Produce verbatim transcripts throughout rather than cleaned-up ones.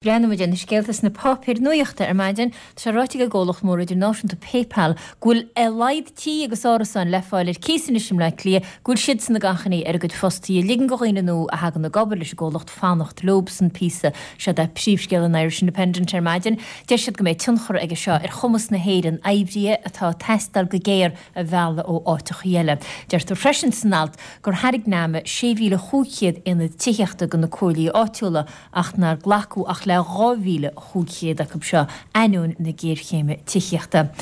Breathnóimid ar na scéalta sna páipéir nuachta ar maidin. Tá sé ráite ag an gcomhlacht mór idirnáisiúnta PayPal go bhfuil a laghad tí agus árasáin le fáil ar cíos anois i mBleá Cliath go bhfuil siadsan ag achainí ar a gcuid fostaithe ligean do dhaoine nua a thagann ag obair leis an gcomhlacht fanacht leobsan píosa. Seo é príomhscéal an Irish Independent ar maidin. Deir siad go mbeidh tionchar aige seo ar chumas na hÉireann oibrithe atá ag teastáil go géar a mhealladh ó áiteachaí eile. Deirtear freisin san alt gur thairg NAMA sé mhíle chúig chéad aonad tithíochta do na comhairlí áitiúla ach nár glacadh ach le dhá mhíle chúig chéad acu seo ainneoin na géarchéime tithíochta.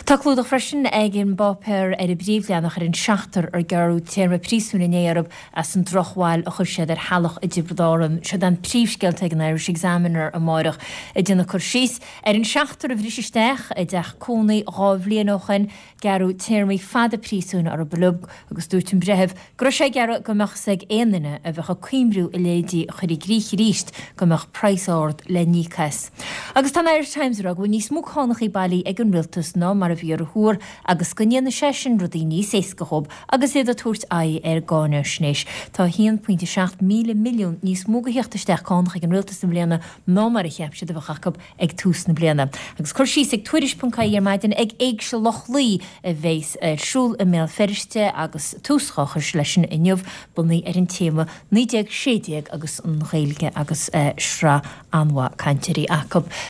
Tá clúdach freisin ag an bpáipéar ar an bpríomhleathanach ar an seachtar ar gearradh téarma príosúin inné orthu as an drochbhail a chuir siad ar theaghlach i dTiobraid Árann. Seo an príomhscéal ag an Irish Examiner amárach ag déanamh cur síos ar an seachtar a bhris isteach i dteach cónaí dhá bhliain ó shin, gearradh téarmaí fada príosúin orthu uilig agus dúirt an breitheamh go raibh sé ag iarraidh go mbeadh fhios ag aon duine a bheadh ag cuimhniú a leithéidí a chur i gcrích arís go mbeadh praghas ard le n-íoc as. Agus tá an Irish Times ag rá go bhfuil níos mó cánachaí bailí ag an rialtas ná mar a bhí ar a thuar agus go ndéanfaidh sé sin rudaí níos éasca dhóibh agus iad ag tabhairt aghaidh ar an gcáinaisnéis. Tá a haon pointe seacht míle milliún níos mó de theacht isteach cánach ag an rialtas i mbliana ná mar a cheap siad a bheadh acu ag tús na bliana. Agus cur síos ag Tuairisc.ie ar maidin ag Éigse Loch Lao a bheas ar siúl i mBéal Feirste agus tús á chur leis sin inniu bunaithe ar an téama naoi déag sé déag agus an Ghaeilge agus sraith an-mhaith cainteoirí acu.